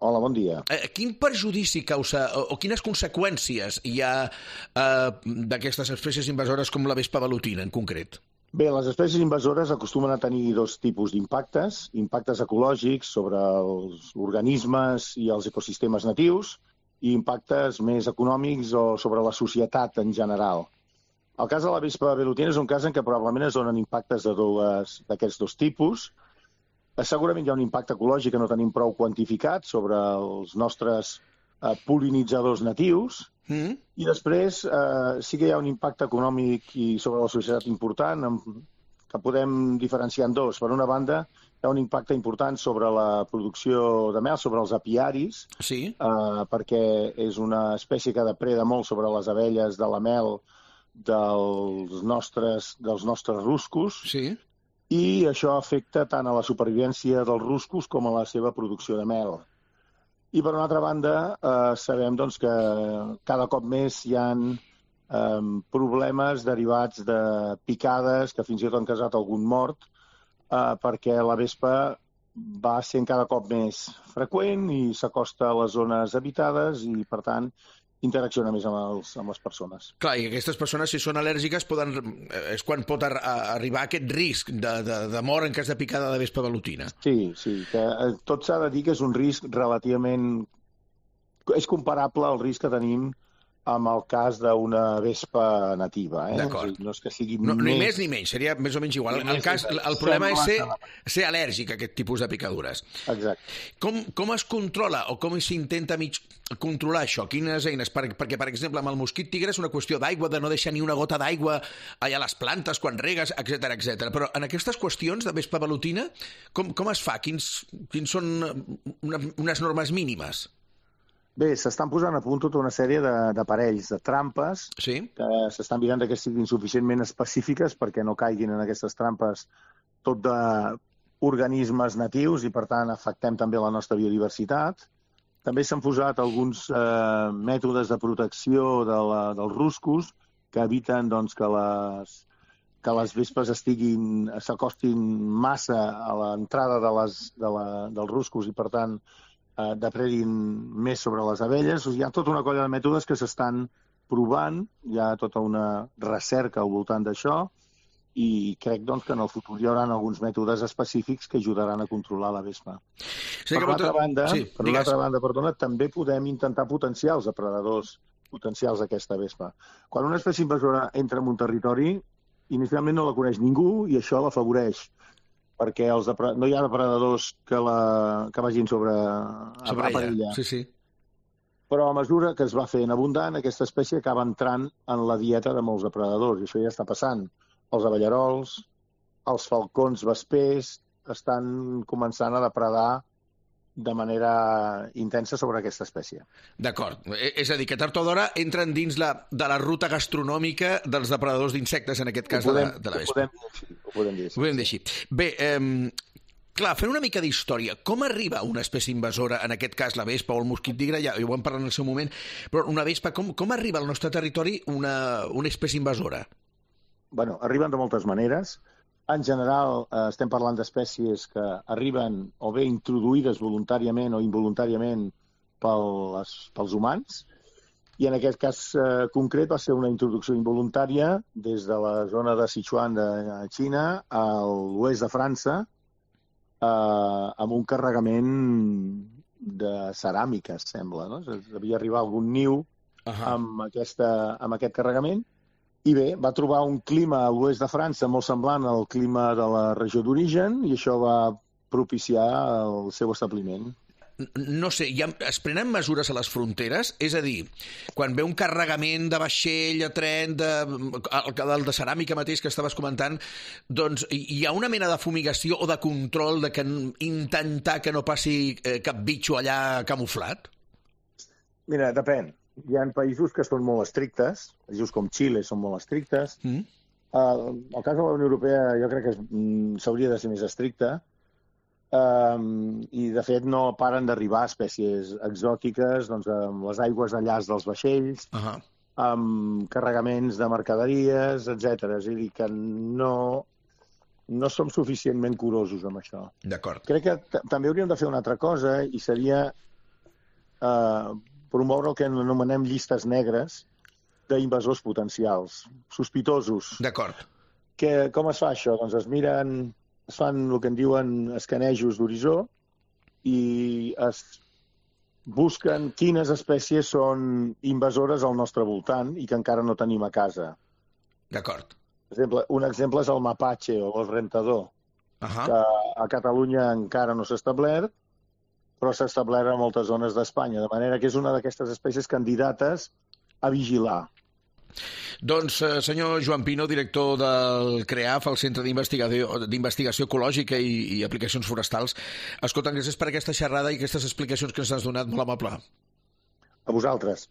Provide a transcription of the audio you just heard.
Hola, bon dia. Quin perjudici causa o quines conseqüències hi ha d'aquestes espècies invasores com la vespa velutina en concret? Bé, les espècies invasores acostumen a tenir dos tipus d'impactes, impactes ecològics sobre els organismes i els ecosistemes natius i impactes més econòmics o sobre la societat en general. El cas de la vespa velutina és un cas en què probablement es donen impactes d'aquests dos tipus. Segurament hi ha un impacte ecològic que no tenim prou quantificat sobre els nostres pol·linitzadors natius i després sí que hi ha un impacte econòmic i sobre la societat important que podem diferenciar en dos. Per una banda, hi ha un impacte important sobre la producció de mel, sobre els apiaris, perquè és una espècie que depreda molt sobre les abelles de la mel dels nostres ruscos. Sí. I això afecta tant a la supervivència dels ruscos com a la seva producció de mel. I per una altra banda, sabem doncs, que cada cop més hi ha problemes derivats de picades que fins i tot han causat algun mort, perquè la vespa va sent cada cop més freqüent i s'acosta a les zones habitades i, per tant, interacciona més amb les persones. Clar, i aquestes persones, si són al·lèrgiques, és quan pot arribar aquest risc de mort en cas de picada de vespa velutina. Sí, que tot s'ha de dir que és un risc relativament... És comparable al risc que tenim amb el cas d'una vespa nativa. D'acord. No és que sigui ni més ni menys, seria més o menys igual. El problema és ser al·lèrgic a aquest tipus de picadures. Exacte. Com es controla o com s'intenta controlar això? Quines eines? Perquè, per exemple, amb el mosquit tigre és una qüestió d'aigua, de no deixar ni una gota d'aigua allà a les plantes quan regues, etc. Però en aquestes qüestions de vespa velutina, com es fa? Quins són unes normes mínimes? Bé, s'estan posant a punt tota una sèrie d'aparells, de trampes, que s'estan mirant que siguin suficientment específiques perquè no caiguin en aquestes trampes tot d'organismes natius i, per tant, afectem també la nostra biodiversitat. També s'han posat alguns mètodes de protecció dels ruscos que eviten doncs, que les vespes s'acostin massa a l'entrada dels ruscos i, per tant, depredin més sobre les abelles. Hi ha tota una colla de mètodes que s'estan provant, hi ha tota una recerca al voltant d'això i crec doncs, que en el futur hi haurà alguns mètodes específics que ajudaran a controlar la vespa. Per una altra banda, també podem intentar potenciar els depredadors potencials d'aquesta vespa. Quan una espècie invasora entra en un territori, inicialment no la coneix ningú i això l'afavoreix, perquè no hi ha depredadors que vagin sobre ella. Sí. Però a mesura que es va fent abundant, aquesta espècie acaba entrant en la dieta de molts depredadors, i això ja està passant. Els abellarols, els falcons vespers estan començant a depredar de manera intensa sobre aquesta espècie. D'acord. És a dir, que tard o d'hora entren dins de la ruta gastronòmica dels depredadors d'insectes, en aquest cas de la vespa. Ho podem dir així. Bé, clar, fent una mica d'història, com arriba una espècie invasora, en aquest cas la vespa o el mosquit tigre, ja ho vam parlar en el seu moment, però una vespa, com arriba al nostre territori una espècie invasora? Bueno, arriben de moltes maneres. En general, estem parlant d'espècies que arriben o bé introduïdes voluntàriament o involuntàriament pels humans, i en aquest cas concret va ser una introducció involuntària des de la zona de Sichuan de Xina a l'oest de França, amb un carregament de ceràmica, sembla, no? Devia arribar algun niu amb aquest carregament. I bé, va trobar un clima a l'oest de França molt semblant al clima de la regió d'origen i això va propiciar el seu establiment. No sé, es prenen mesures a les fronteres? És a dir, quan ve un carregament de vaixell, de tren, el de ceràmica mateix que estaves comentant, doncs hi ha una mena de fumigació o de control de intentar que no passi cap bitxo allà camuflat? Mira, depèn. Hi ha països que són molt estrictes, països com Xile són molt estrictes. El cas de la Unió Europea jo crec que s'hauria de ser més estricta i, de fet, no paren d'arribar espècies exòtiques amb les aigües de llaç dels vaixells, amb carregaments de mercaderies, etc. És a dir, que no som suficientment curosos amb això. D'acord. Crec que també hauríem de fer una altra cosa i seria promoure el que anomenem llistes negres d'invasors potencials, sospitosos. D'acord. Com es fa això? Doncs es fan el que en diuen escanejos d'horitzó i es busquen quines espècies són invasores al nostre voltant i que encara no tenim a casa. D'acord. Per exemple, un exemple és el mapatge o el rentador, que a Catalunya encara no s'ha establert, però s'ha establert a moltes zones d'Espanya, de manera que és una d'aquestes espècies candidates a vigilar. Doncs, senyor Joan Pino, director del CREAF, el Centre d'Investigació Ecològica i Aplicacions Forestals, escolta, gràcies per aquesta xerrada i aquestes explicacions que ens has donat, molt amable. A vosaltres.